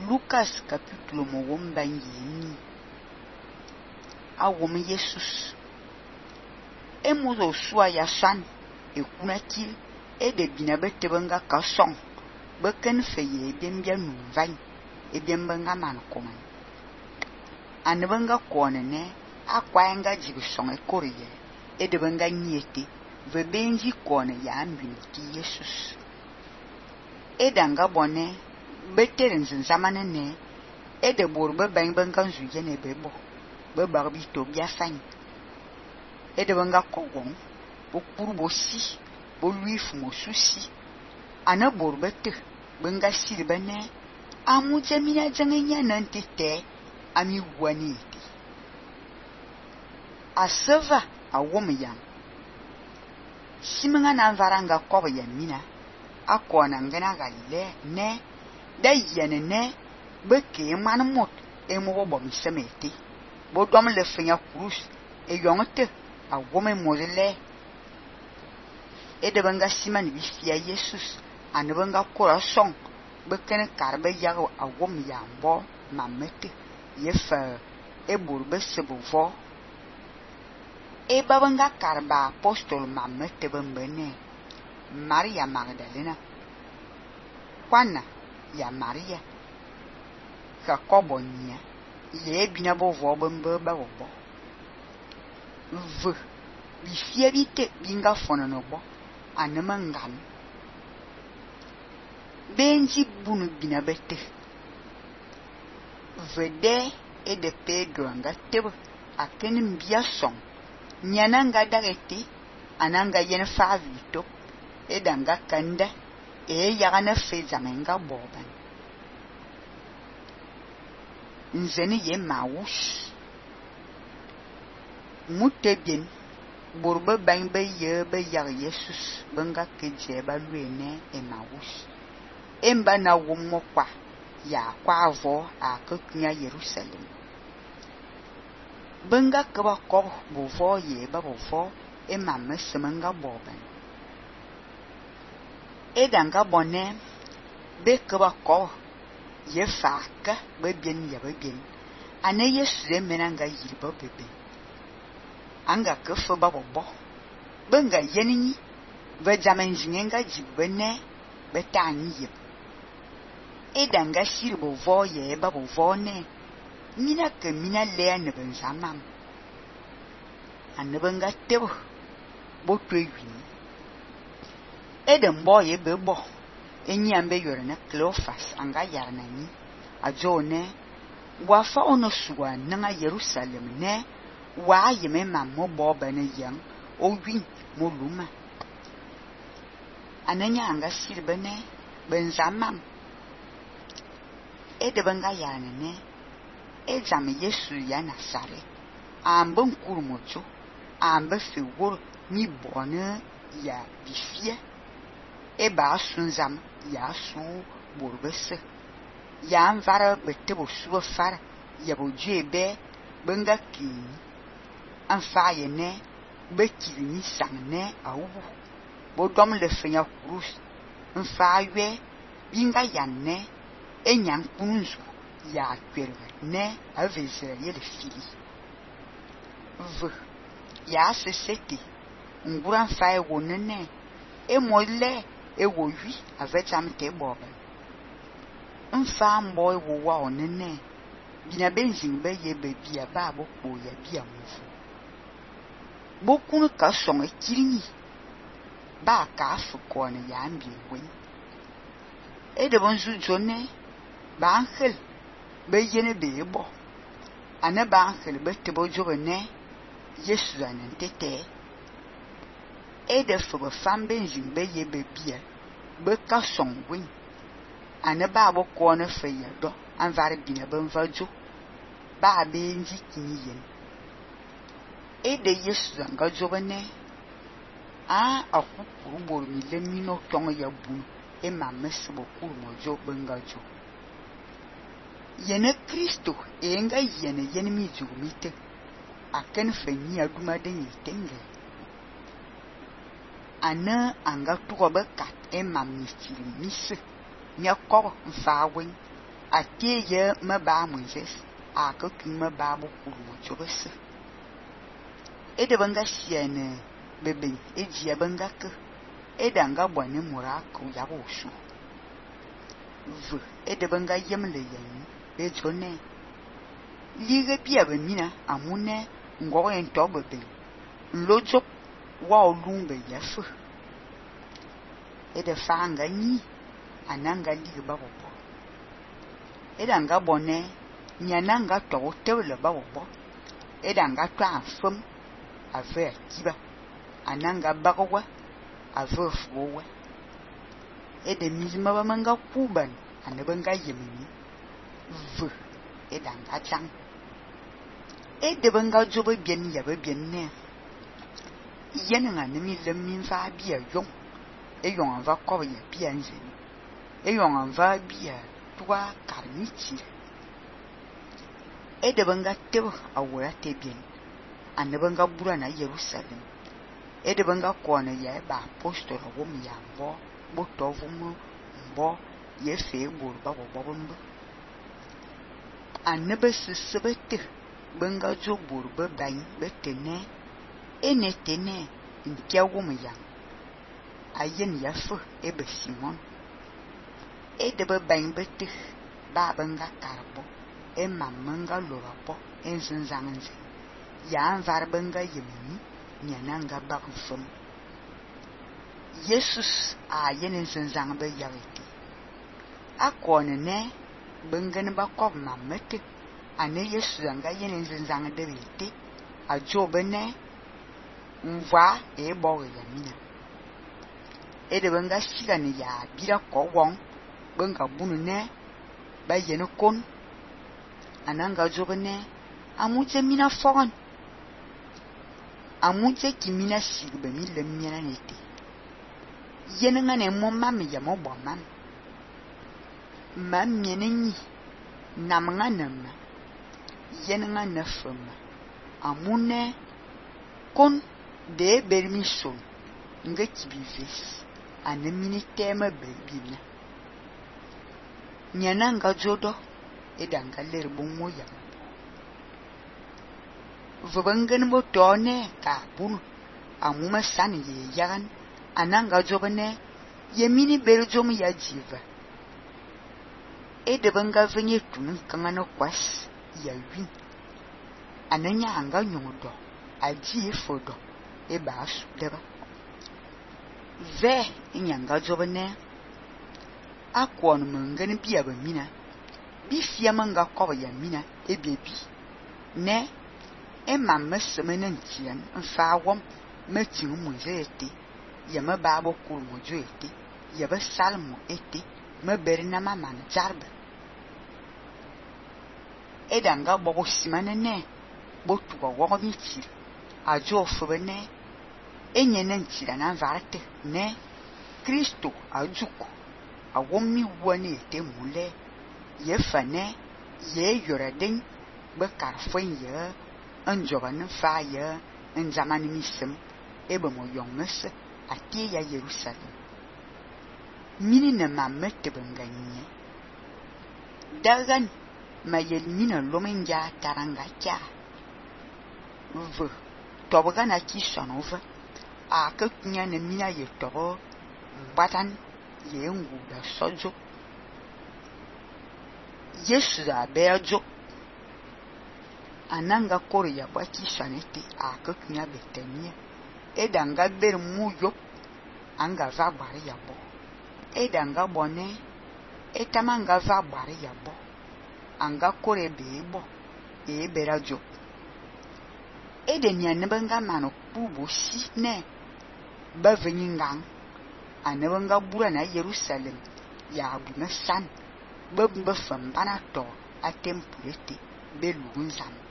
Lucas capítulo mowom banyini awom Jesus emuzo sua ya san ekunakil de bina betebenga ka song beken feye bembia nuvany ebiembenga man koman anbenga konene akwaenga jibi song ekoriye edebenga nyete vebenji kone ya ambinti Jesus edanga bone beteren zamane ne ede borbe benga nzuyene bebo bebarbi to biafany edebenga kogong bokuru bosi boluifu mosusi ana borbete benga sirbene amujamina jangenya nantete ami waniti aseva awomyam simenga na varanga kobo yamina akona ngena galle ne dayene ne beke manmot emo bom semeti bodom le fenya krus yongte awome mozele edebenga siman bifia Jesus anbenga kora song beken karbe yago awom yambo mamete yefa eburbe sebovo babanga karba apostol mamete bembene Maria Magdalena Juana ya Maria Jacobo nya ye bina bovo bembe babobo v bifia bite binga fonono bo anemangam benji bunu bina bete vede de Pedro anga tebe akenim bia song nyananga dageti ananga yen favito edanga kanda yagana fezamenga boban nzeni ye mawush mutebien borbe bangbe ye be yag Jesus benga keje ba luene mawush emba na womo kwa ya kwa avo akunya Jerusalem benga keba ko bovo ye ba bovo mamme semenga boban edanga bonne be keba ko ye faka be bien ya be bien ane Yesu menanga yirbo bebe anga kefo ba bobo benga yenini be jamen jinenga jibene betani yeb edanga shirbo vo ye ba bovo ne mina ke mina le ne benzamam anebenga tebo botwewi edem boye bebo enyambe yorena Cleophas anga yarnani ajone wafa ono suwa nanga Jerusalem ne wa yeme mammo boba ne yang owin moluma ananya anga sirbene benzamam edebenga yarnane ejame Yesu ya Nasare ambon kurmocho ambe fewor mi bone ya bifia eba sunzam ya su borbese ya anvara betebo suwa fara ya bojebe benga kin anfaye ne bekini sangne awu bodom le fenya krus anfaye binga yanne enyan kunzu ya kwerwe ne avezere ye le fili v ya seseti nguran faye wonene emole ewowi avecham te boba mfa mbo ewowa onene bina benzin be ye bebia ba bokpo ya bia mufu bokunu ka song ekirni ba ka afuko ne ya ambi wen ede bonzu jone ba angel be yene be bo ane ba angel be tebo jobene Yesu anentete ede fobe fambenzin be ye bebia be ka song wen ane ba boko ne feya do anvar bina benvajo ba benji kinyen ede Yesu anga jobene akukuru bor mi le mino tong ya bu mamme sebo kuru mojo bengajo yene Kristo enga yene mi jugumite aken fenyi aduma den yitenge ana anga tuko bekat mammi chiri mise nya ko mfawen atie ye me ba Moses a ka tu me ba bo kulu mo chobese e de banga siene bebe e dia banga ke e danga bwane mura ku ya bo su v e de banga yemle yen e jone lige bia be mina amune ngo en to bebe lojo wa olumbe ya fu e de fanga ni ananga lige ba bo e danga bone nyananga to tewle ba bo e danga to afum ave kiba ananga bagwa ave fuwa e de mizima ba manga kuban anabanga yemini v e danga chang e de banga jobe bien ya be bien ne yenanga nimi lemin fa bia yong e yong va ko ya bia nze e yong va bia twa karnichi e de banga tebo awura te bien anabanga bura na Jerusalem e de banga kona ya ba apostol wo mi yambo bo tovumu mbo ye fe bur ba bo bombo anabe sesebete banga jo bur be bain betene enetene ntia wo mi yam ayen ya fu e be Simon e de be bain bete ba banga karbo e mamanga loropo en zinzanze ya var banga yemini nyananga bakfum Jesus a yenen zinzang be yaweti akone ne bengen ba kob mamete ane Jesus anga yenen zinzang de bete a jobe ne mva e bo yamina e de benga siga ne ya bira ko won benga bunu ne ba yene kon ananga jobe ne amuje mina fogon amuje kimina sigbe mi le miana nete yenanga ne mo mami ya mo bomam mam menenyi namanga nama yenanga na fama amune kon de bermission nga kibivis anemini tema bebina nyananga jodo edanga lerbo moya vubangan mo tone ka bun amuma san ye yagan ananga jobane yemini berjom ya jiva e de banga venye tun kangano kwas ya win ananya anga nyudo aji fodo e ba su deba ve nyanga jobane akwon mangani biya ba mina bi fia manga ko ya mina e bebi ne e mamma semenen tian fa wom metin mu zete ya ma babo ko mo joete ya ba salmo ete ma berna mama na jarba e danga bobo simane ne botu go wo mi ti ajo fo bene enye nan ti na varte ne Kristo ajuko awom mi woni ete mule ye fane ye yoraden be karfon ye anjoban fa ye en zamani misem ebe mo yongnes atie ya Jerusalem mini na mamete banganye dagan mayel mina lomenja taranga cha v toboga na ki sonova a ka kunya na mina ye tobo batan ye ngu da sojo Yesu da bejo ananga koro ya baki sanete a ka kunya betania edanga ber muyo anga va bare ya bo edanga bone etamanga va bare ya bo anga kore bebo e berajo edenia nebanga mano bubu si ne baveningang anebanga bura na Jerusalem ya abuna san babba fambana to atempulete belunzam